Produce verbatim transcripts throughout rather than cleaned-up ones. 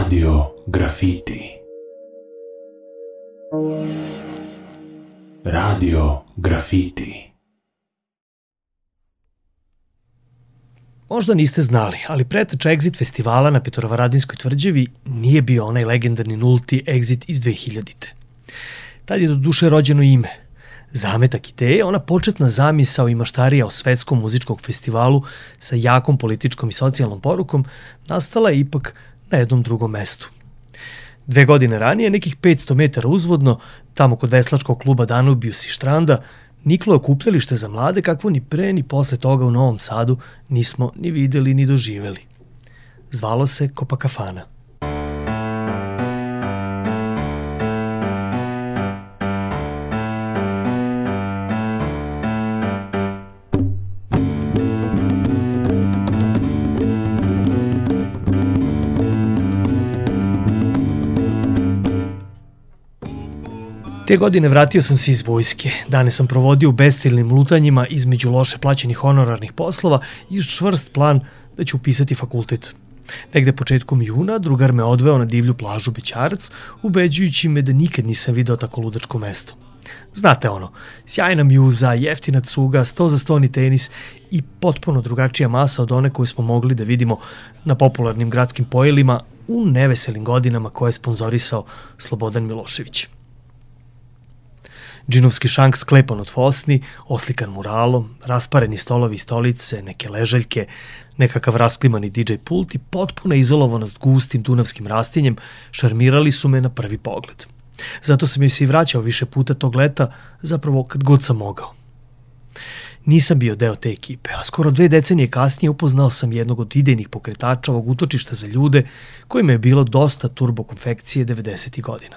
Radio Grafiti. Radio Grafiti. Možda niste znali, ali preteča Exit festivala na Petrovaradinskoj tvrđavi nije bio onaj legendarni nulti Exit iz dve hiljadite. Tad je do duše rođeno ime. Zametak ideje, ona početna zamisao i maštarija o svetskom muzičkom festivalu sa jakom političkom i socijalnom porukom nastala je ipak na jednom drugom mestu. Dve godine ranije, nekih petsto metara uzvodno, tamo kod veslačkog kluba Danubius i Štranda, niklo je okupljalište za mlade kakvo ni pre ni posle toga u Novom Sadu nismo ni videli ni doživeli. Zvalo se Copacafana. Te godine vratio sam se iz vojske. Dane sam provodio u besciljnim lutanjima između loše plaćenih honorarnih poslova i uz čvrst plan da ću upisati fakultet. Negde početkom juna drugar me odveo na divlju plažu Bećarac, ubeđujući me da nikad nisam video tako ludačko mesto. Znate ono, sjajna mjuza, jeftina cuga, sto za stoni tenis i potpuno drugačija masa od one koju smo mogli da vidimo na popularnim gradskim pojelima u neveselim godinama koje je sponzorisao Slobodan Milošević. Džinovski šank sklepan od fosni, oslikan muralom, raspareni stolovi i stolice, neke ležaljke, nekakav rasklimani di džej pult i potpuna izolovanost gustim dunavskim rastinjem šarmirali su me na prvi pogled. Zato sam joj se i vraćao više puta tog leta, zapravo kad god sam mogao. Nisam bio deo te ekipe, a skoro dve decenije kasnije upoznao sam jednog od idejnih pokretača ovog utočišta za ljude kojima je bilo dosta turbokonfekcije devedesetih godina.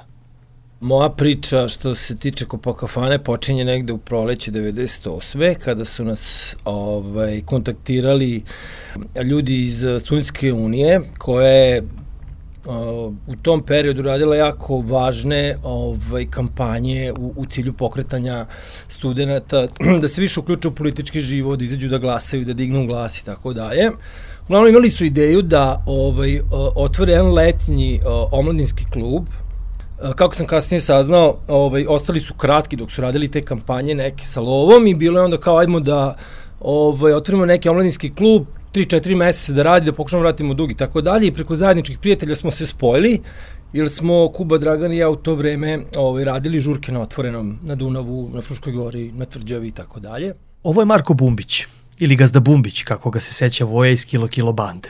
Moja priča što se tiče Copacafane počinje negde u proleće devedeset osme kada su nas ovaj, kontaktirali ljudi iz Studentske unije koja je uh, u tom periodu radila jako važne ovaj, kampanje u, u cilju pokretanja studenta, da se više uključe u politički život, da izađu da glasaju, da dignu glas i tako dalje. Uglavnom imali su ideju da ovaj, otvore jedan letnji uh, omladinski klub. Kako sam kasnije saznao, ovaj, ostali su kratki dok su radili te kampanje neke sa lovom i bilo je onda kao ajmo da ovaj, otvorimo neki omladinski klub, tri četiri meseca da radi, da pokušamo vratimo dug i tako dalje i preko zajedničkih prijatelja smo se spojili jer smo Kuba, Dragan i ja u to vreme ovaj, radili žurke na Otvorenom, na Dunavu, na Fruškoj gori, na Tvrđavi i tako dalje. Ovo je Marko Bumbić, ili Gazda Bumbić, kako ga se seća Voja iz Kilo Kilo bande.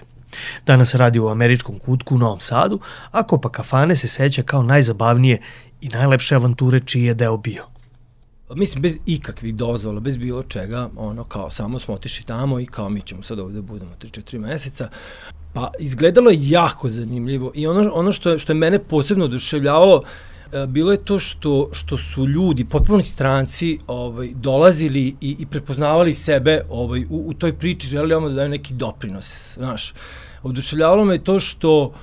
Danas radi u američkom kutku u Novom Sadu, a Copacafane se seća kao najzabavnije i najlepše avanture čiji je deo bio. Mislim, bez ikakvih dozvola, bez bilo čega, ono kao samo smo otišli tamo i kao mi ćemo sad ovde budemo tri četiri meseca. Pa izgledalo je jako zanimljivo i ono, ono što, je, što je mene posebno oduševljavalo bilo je to što, što su ljudi, potpuno stranci, ovaj, dolazili i, i prepoznavali sebe ovaj, u, u toj priči, želeli ono da daju neki doprinos, znaš. Oduševljavalo me to što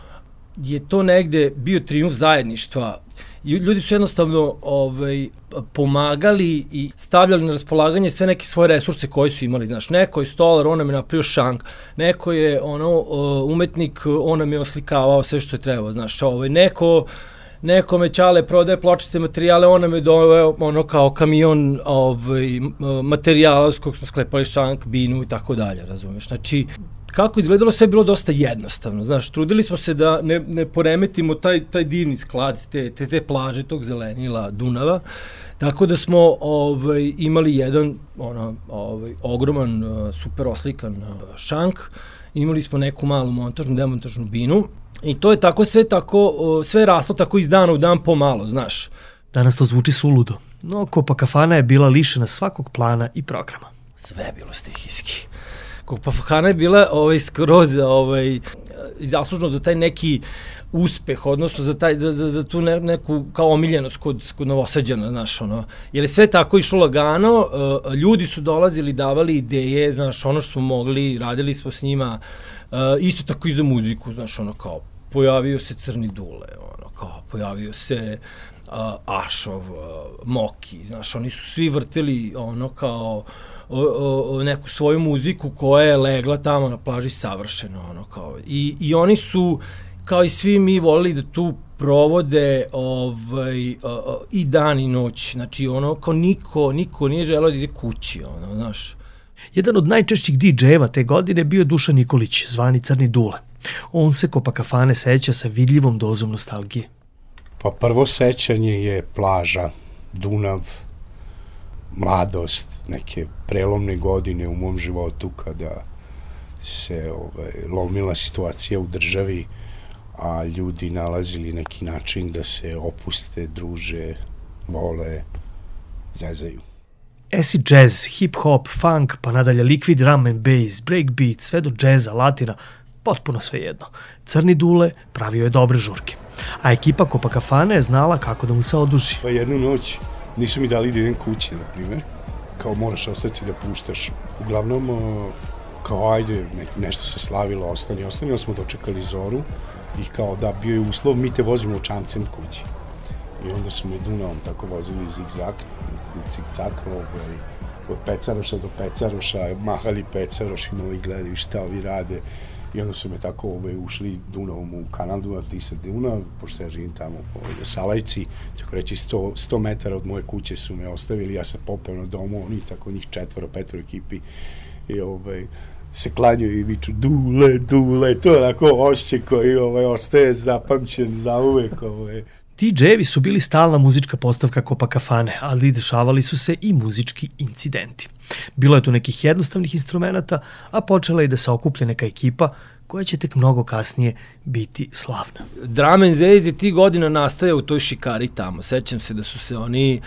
je to negde bio trijumf zajedništva. Ljudi su jednostavno ovaj, pomagali i stavljali na raspolaganje sve neke svoje resurse koje su imali. Znaš, neko je stolar, on nam je napravio šank, neko je ono, umetnik, on nam je oslikavao sve što je trebao. Znaš, ovaj, neko... Nekome Ćale prodaje pločiste materijale, on nam je doveo ono kao kamion ovaj, materijala s kojeg smo sklepali šank, binu i tako dalje, razumeš. Znači, kako izgledalo, sve je bilo dosta jednostavno, znaš, trudili smo se da ne, ne poremetimo taj, taj divni sklad, te, te, te plaže, tog zelenila Dunava, tako da smo ovaj, imali jedan ono, ovaj, ogroman, super oslikan šank, imali smo neku malu montažnu, demontažnu binu, i to je tako sve tako, sve raslo tako iz dana u dan pomalo, znaš. Danas to zvuči suludo, no Copacafana je bila lišena svakog plana i programa. Sve je bilo stihijski. Copacafana je bila ovaj, skroz ovaj, zaslužno za taj neki uspeh, odnosno za, taj, za, za, za tu ne, neku kao omiljenost kod, kod Novosađana, znaš, ono. Jer je sve tako išlo lagano, uh, ljudi su dolazili, davali ideje, znaš, ono što smo mogli, radili smo s njima, uh, isto tako i za muziku, znaš, ono, kao, pojavio se Crni Dule, ono, kao, pojavio se uh, Ašov, uh, Moki, znaš, oni su svi vrteli, ono, kao, o, o, o neku svoju muziku koja je legla tamo na plaži savršeno, ono, kao, i, i oni su kao i svi mi volili da tu provode ovaj, uh, uh, i dan i noć. Znači, ono, kao niko, niko nije želeo da ide kući, ono, znaš. Jedan od najčešćih didžejeva te godine bio Dušan Nikolić, zvani Crni Dule. On se Copacabane seća sa vidljivom dozom nostalgije. Pa prvo sećanje je plaža, Dunav, mladost, neke prelomne godine u mom životu kada se ovaj, lomila situacija u državi, a ljudi nalazili neki način da se opuste, druže, vole, zezaju. Acid jazz, hip-hop, funk, pa nadalje liquid drum and bass, breakbeat, sve do džeza, latina, potpuno sve jedno. Crni Dule pravio je dobre žurke, a ekipa Copacabane je znala kako da mu se oduži. Pa jednu noć nisu mi dali da idem kući, na primjer, kao moraš ostati da puštaš. Uglavnom, kao ajde, ne, nešto se slavilo, ostani, ostani, ali smo dočekali zoru i kao da bio je uslov, mi te vozimo čamcem kući. I onda smo Dunavom tako vozili zigzag, cik-cak, ovaj, od Pecaroša do Pecaroša, mahali Pecarošima i gledaju šta ovi rade. I onda su me tako ovaj, ušli Dunavom u kanal Dunav, Tisa Dunav, pošto ja živim tamo ovaj, na Salajci, tako reći sto, sto metara od moje kuće su me ostavili, ja sam popeo na domu, oni tako njih četvoro, petoro ekipi i ovaj, se klanjuju i viču Dule, Dule, to je onako osjećaj koji ovaj, ostaje zapamćen za uvek. Ovaj. didžejevi su bili stalna muzička postavka Copacabane, ali dešavali su se i muzički incidenti. Bilo je tu nekih jednostavnih instrumenta, a počela je da se okuplja neka ekipa koja će tek mnogo kasnije biti slavna. Drum and Bass je ti godina nastaje u toj šikari tamo. Sećam se da su se oni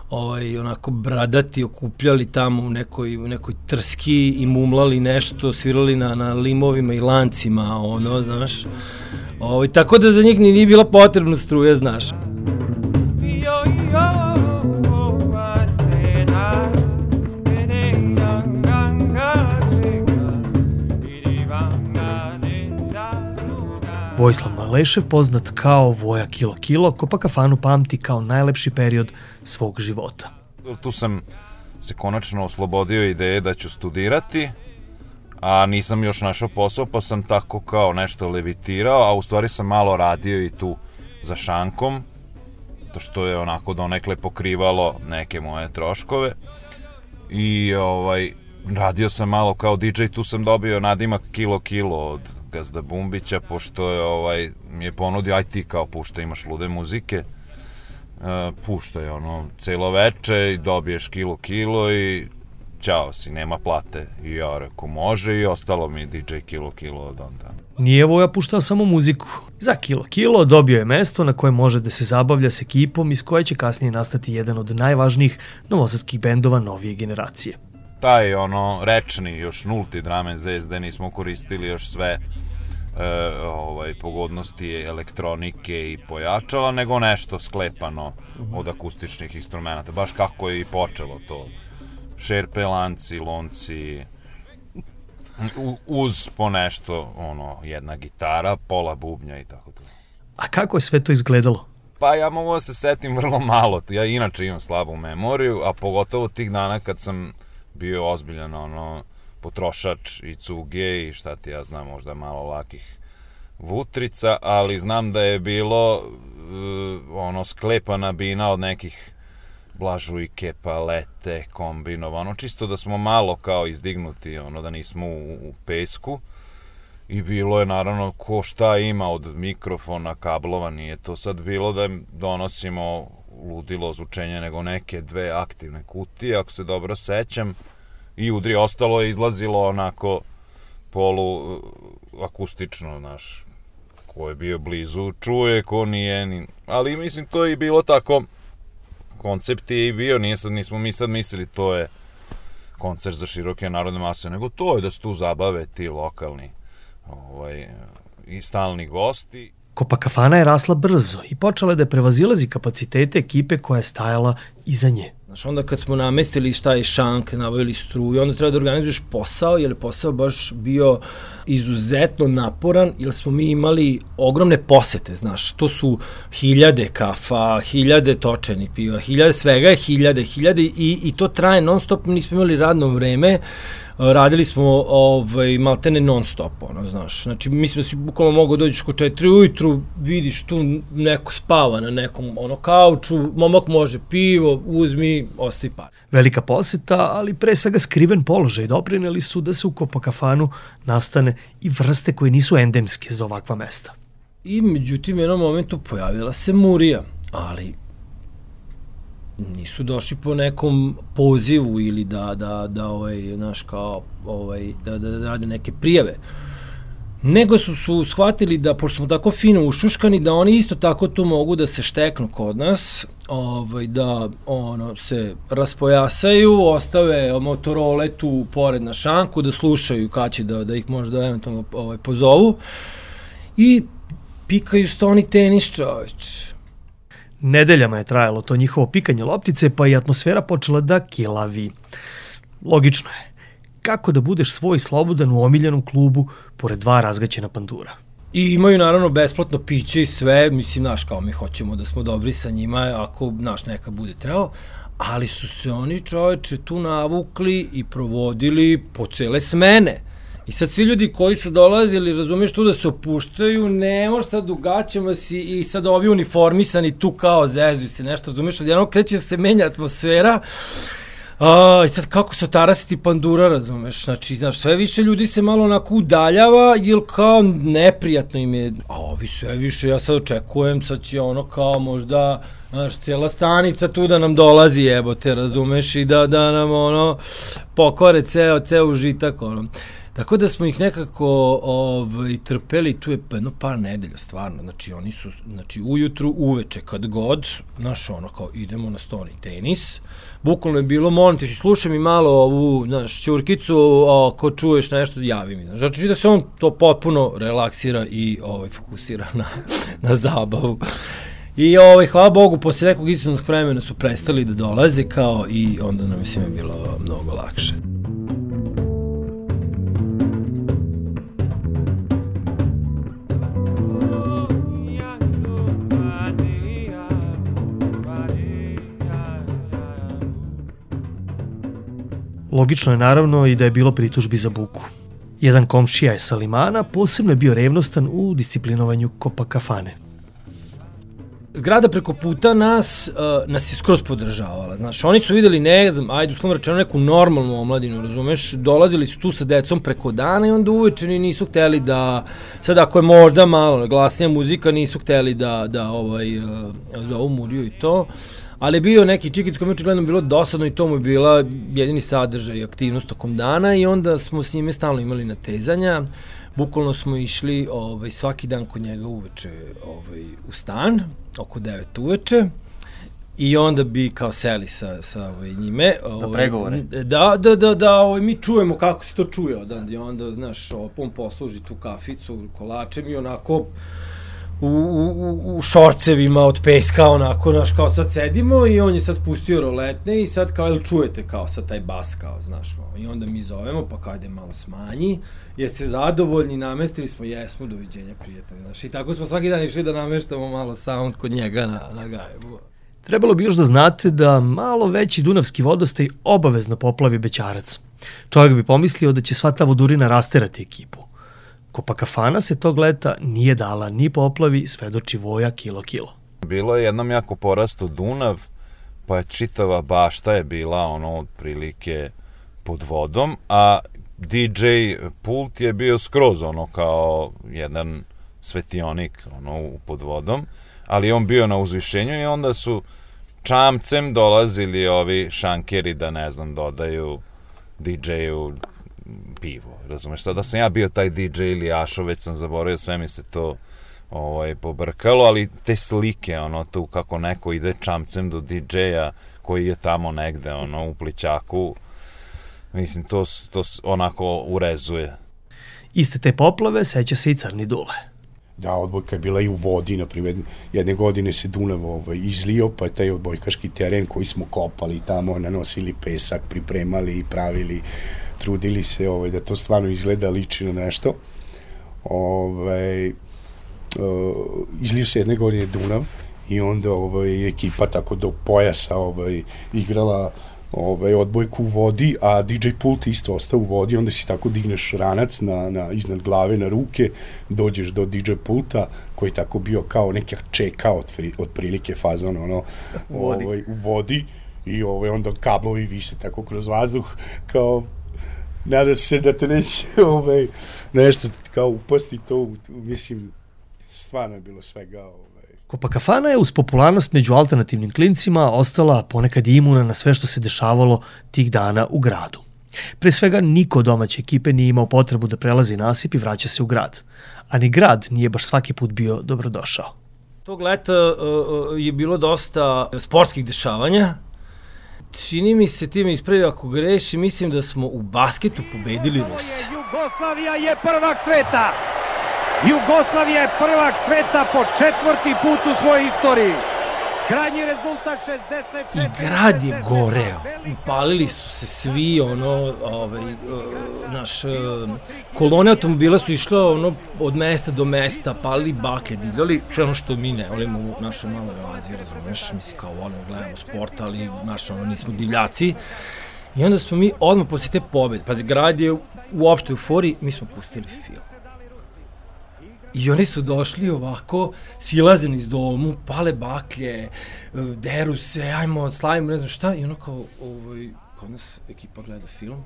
ovaj, onako bradati okupljali tamo u nekoj, u nekoj trski i mumlali nešto, svirali na, na limovima i lancima, ono, znaš. Ovaj, tako da za njih nije bila potrebna struja, znaš. Vojislav Malešev, poznat kao Voja Kilo Kilo, Copacabanu pamti kao najlepši period svog života. Tu sam se konačno oslobodio ideje da ću studirati, a nisam još našao posao, pa sam tako kao nešto levitirao, a u stvari sam malo radio i tu za šankom, to što je onako donekle pokrivalo neke moje troškove. I ovaj, radio sam malo kao didžej, tu sam dobio nadimak Kilo Kilo od Gazda Bumbića, pošto je, ovaj, mi je ponudio, aj ti kao pušta, imaš lude muzike, uh, puštaj ono celo veče i dobiješ Kilo Kilo i ćao si, nema plate. I ja rekao može i ostalo mi didžej Kilo Kilo od onda. Nije Voja puštao samo muziku. Za Kilo Kilo dobio je mesto na koje može da se zabavlja s ekipom iz koje će kasnije nastati jedan od najvažnijih novosadskih bendova novije generacije. Taj ono rečni, još nulti drum and bass, gde nismo koristili još sve e, ovaj, pogodnosti elektronike i pojačala, nego nešto sklepano od akustičnih instrumenta, baš kako je i počelo to. Šerpe, lanci, lonci, u, uz po nešto, ono, jedna gitara, pola bubnja i tako to. A kako je sve to izgledalo? Pa ja mogu da se setim vrlo malo, ja inače imam slabu memoriju, a pogotovo tih dana kad sam bio ozbiljan ono, potrošač i cuge i šta ti ja znam, možda malo lakih vutrica, ali znam da je bilo uh, ono sklepana bina od nekih blažujke, palete, kombinovano, čisto da smo malo kao izdignuti, ono da nismo u, u pesku. I bilo je naravno ko šta ima od mikrofona, kablova, nije to sad bilo da donosimo ludilo zvučenje, nego neke dve aktivne kutije, ako se dobro sećam, i udri, ostalo je izlazilo onako polu akustično, znaš, ko je bio blizu čuje, ko nije, ni... ali mislim to je i bilo tako, koncept je i bio, nije sad, nismo mi sad mislili to je koncert za široke narodne mase, nego to je da se tu zabave ti lokalni ovaj, i stalni gosti. Copacabana je rasla brzo i počela je da prevazilazi kapacitete ekipe koja je stajala iza nje. Znaš, onda kad smo namestili šta je šank, nabavili struju, onda treba da organizuješ posao, jer je posao baš bio izuzetno naporan, jer smo mi imali ogromne posete, znaš, to su hiljade kafa, hiljade točenih piva, hiljade svega je hiljade, hiljade i, i to traje non stop, nismo imali radno vreme, radili smo ovaj, maltene non stop, ono, znaš. Znači, mislim da si bukvalno mogao dođeš ko četiri ujutru, vidiš tu neko spava na nekom ono, kauču, momak može pivo, uzmi, ostavi par. Velika poseta, ali pre svega skriven položaj doprineli su da se u Copacafanu nastane i vrste koje nisu endemske za ovakva mesta. I međutim, u jednom momentu pojavila se Murija, ali nisu došli po nekom pozivu ili da, da, da, ovaj, znaš, kao, ovaj, da, da, da rade neke prijave. Nego su, su shvatili da, pošto smo tako fino ušuškani, da oni isto tako tu mogu da se šteknu kod nas, ovaj, da ono, se raspojasaju, ostave Motorole tu pored na šanku, da slušaju kad će da, da ih možda eventualno ovaj, pozovu i pikaju stoni tenis, čoveč. Nedeljama je trajalo to njihovo pikanje loptice, pa i atmosfera počela da kilavi. Logično je. Kako da budeš svoj slobodan u omiljenom klubu pored dva razgaćena pandura? I imaju naravno besplatno piće i sve, mislim, znaš, kao mi hoćemo da smo dobri sa njima, ako, znaš, neka bude trebao, ali su se oni, čoveče, tu navukli i provodili po cele smene. I sad svi ljudi koji su dolazili, razumiješ, tu da se opuštaju, ne možeš sad u gaćama si i sad ovi uniformisani tu kao zezuju se nešto, razumiješ, odjednom kreće da se menja atmosfera. A, i sad kako se otarasiti pandura, razumeš, znači, znaš, sve više ljudi se malo onako udaljava, jer kao neprijatno im je, a ovi sve više, ja sad očekujem, sad će ono kao možda, znaš, cijela stanica tu da nam dolazi, jebote, razumeš, i da, da nam, ono, pokore ceo, ceo užitak, ono. Tako da smo ih nekako ovaj, trpeli, tu je jedno par nedelja, stvarno, znači oni su, znači ujutru, uveče, kad god, znaš, ono, kao idemo na stoni tenis, bukvalno je bilo, molim ti, slušaj mi malo ovu, znaš, ćurkicu, ako čuješ nešto, javi mi, znači da se on to potpuno relaksira i ovaj, fokusira na, na zabavu. I ovaj, hvala Bogu, posle nekog istranog vremena su prestali da dolaze, kao i onda nam je svima bilo mnogo lakše. Logično je naravno i da je bilo pritužbi za buku. Jedan komšija je sa Limana posebno je bio revnostan u disciplinovanju Copacafane. Zgrada preko puta nas, uh, nas je skroz podržavala, znaš, oni su videli, ne znam, ajde, uslovno rečeno, neku normalnu omladinu, razumeš, dolazili su tu sa decom preko dana i onda uvečeri nisu hteli da, sad ako je možda malo glasnija muzika, nisu hteli da, da ovaj, uh, zovu Muriju i to, ali je bio neki čikic koji mi očigledno bilo dosadno i to mu je bila jedini sadržaj i aktivnost tokom dana i onda smo s njime stalno imali natezanja. Bukvalno smo išli ovaj, svaki dan kod njega uveče ovaj, u stan, oko devet uveče, i onda bi kao seli sa, sa ovaj, njime. Na pregovore. Da, da, da, da ovaj, mi čujemo kako se to čuje odan, i onda, znaš, on posluži tu kaficu kolačem i onako u, u, u šorcevima od peska, onako, znaš, kao sad sedimo i on je sad spustio roletne i sad kao, ili čujete kao sad taj bas, kao, znaš, kao, i onda mi zovemo, pa kao, ajde malo smanji, jeste zadovoljni, namestili smo, jesmo, doviđenja, prijatelji, znaš, i tako smo svaki dan išli da nameštamo malo sound kod njega na, na Gajevu. Trebalo bi još da znate da malo veći dunavski vodostaj obavezno poplavi Bećarac. Čovjek bi pomislio da će sva ta vodurina rasterati ekipu. Copacafana se tog leta nije dala ni poplavi, svedoči Voja kilo kilo. Bilo je jednom jako porasto Dunav, pa je čitava bašta je bila ono otprilike pod vodom, a D J pult je bio skroz ono kao jedan svetionik ono pod vodom, ali on bio na uzvišenju i onda su čamcem dolazili ovi šankeri da, ne znam, dodaju D J-u pivo, razumeš? Sada sam ja bio taj D J ili Ašo, već sam zaboravio, sve mi se to ovaj, pobrkalo, ali te slike, ono, tu kako neko ide čamcem do D J-a koji je tamo negde, ono, u plićaku, mislim, to, to onako urezuje. Iste te poplave seća se i Crni Dule. Da, odbojka je bila i u vodi, na primjer, jedne godine se Dunav ovaj, izlio, pa je taj odbojkaški teren koji smo kopali tamo, nanosili pesak, pripremali i pravili, trudili se ovaj, da to stvarno izgleda, liči na nešto. Ovaj, uh, izlio se jedne godine Dunav i onda ovaj, ekipa tako do pojasa ovaj, igrala ovaj, odbojku u vodi, a D J pult isto ostao u vodi, onda si tako digneš ranac na, na, iznad glave na ruke, dođeš do D J pulta, koji je tako bio kao neka čeka od, od prilike fazon, ono, ovaj, u vodi, i ovaj, onda kablovi vise tako kroz vazduh, kao, nada se da te neće ovaj, nešto kao upasti to, mislim, stvarno je bilo svega. Ovaj. Copacabana je uz popularnost među alternativnim klincima ostala ponekad imuna na sve što se dešavalo tih dana u gradu. Pre svega, niko od domaće ekipe nije imao potrebu da prelazi nasip i vraća se u grad. A ni grad nije baš svaki put bio dobrodošao. Tog leta uh, je bilo dosta sportskih dešavanja. Čini mi se, ti me ispravi ako greši, mislim da smo u basketu pobedili Ruse. Jugoslavija je prvak sveta! Jugoslavija je prvak sveta po četvrti put u svojoj istoriji. Krajnji rezultat šezdeset četiri. I grad je goreo. Upalili su se svi, ono, ovaj, naš, kolone automobila su išle ono, od mesta do mesta, palili baklje, divljali, sve ono što mi ne volimo u našoj maloj Aziji, razumeš, mislim kao volimo, gledamo sport, ali naš, ono, nismo divljaci. I onda smo mi odmah posle te pobede, pazi, grad je u opštoj euforiji, mi smo pustili film. I oni su došli ovako, silazeni iz domu, pale baklje, deru se, ajmo, slavimo, ne znam šta, i ono kao, ovaj, kod nas ekipa gleda film.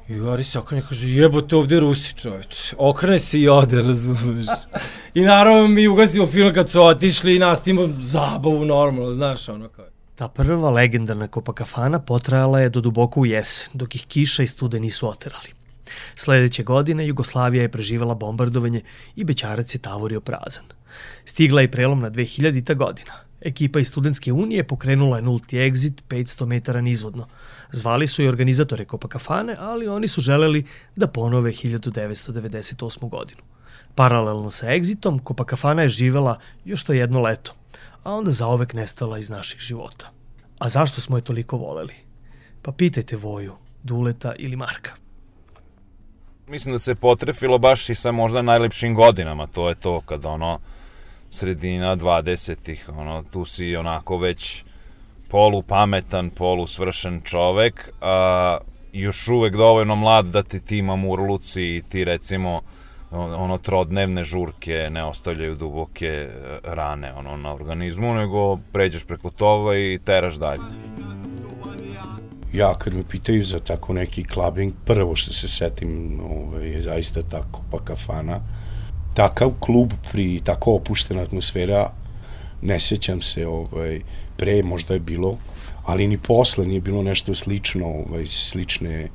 I Gari se okrene i kaže, jebote ovde Rusi, čoveč. Okrene se i ode, razumeš. I naravno mi ugasimo film kad su otišli i nastavimo zabavu normalno, znaš, ono kao. Ta prva legendarna Copacabana potrajala je do duboko u jesen, dok ih kiša i stude nisu oterali. Sledeće godine Jugoslavija je preživela bombardovanje i bećarac je tavorio prazan. Stigla je prelomna dve hiljadita godina. Ekipa iz Studentske unije pokrenula je nulti egzit petsto metara nizvodno. Zvali su i organizatore Copacabane, ali oni su želeli da ponove hiljadu devetsto devedeset osmu godinu. Paralelno sa egzitom, Copacabana je živela još to jedno leto, a onda zaovek nestala iz naših života. A zašto smo je toliko voleli? Pa pitajte Voju, Duleta ili Marka. Mislim da se potrefilo baš i sa možda najlepšim godinama, to je to kad ono sredina dvadesetih, ono, tu si onako već polu pametan, polu svršen čovek, a još uvek dovoljno mlad da ti ti mamurluci i ti recimo ono trodnevne žurke ne ostavljaju duboke rane ono na organizmu, nego pređeš preko toga i teraš dalje. Ja kad me pitaju za tako neki clubbing, prvo što se setim ovaj, je zaista ta Copacabana. Takav klub pri tako opuštena atmosfera, ne sećam se, ovaj, pre možda je bilo, ali ni posle nije bilo nešto slično, ovaj, slične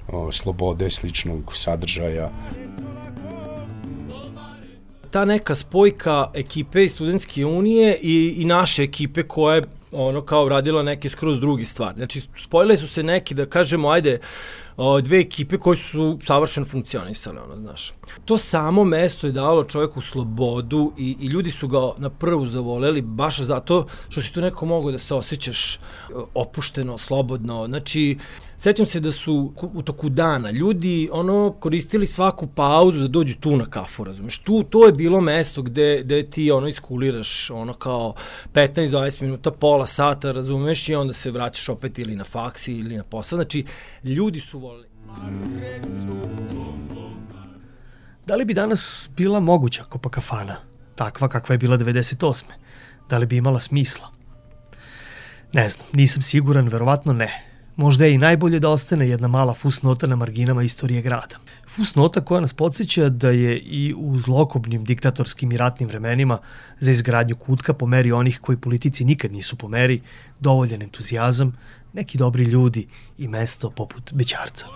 o, slobode, sličnog sadržaja. Ta neka spojka ekipe iz Studentske unije i, i naše ekipe koja je ono kao radila neke skroz drugi stvari. Znači, spojile su se neki, da kažemo, ajde, dve ekipe koje su savršeno funkcionisale, ono, znaš. To samo mesto je dalo čovjeku slobodu i, i ljudi su ga na prvu zavoleli baš zato što si tu neko mogao da se osjećaš opušteno, slobodno. Znači, sećam se da su u toku dana ljudi ono koristili svaku pauzu da dođu tu na kafu, razumeš? Tu, to je bilo mesto gde, gde ti ono iskuliraš ono kao petnaest do dvadeset minuta, pola sata, razumeš, i onda se vraćaš opet ili na faksi ili na posao. Znači, ljudi su voleli. Da li bi danas bila moguća Copacabana, takva kakva je bila devedeset osme? Da li bi imala smisla? Ne znam, nisam siguran, verovatno ne. Možda je i najbolje da ostane jedna mala fusnota na marginama istorije grada. Fusnota koja nas podsjeća da je i u zlokobnim diktatorskim i ratnim vremenima za izgradnju kutka po meri onih koji politici nikad nisu po meri, dovoljan entuzijazam, neki dobri ljudi i mesto poput Bećarca.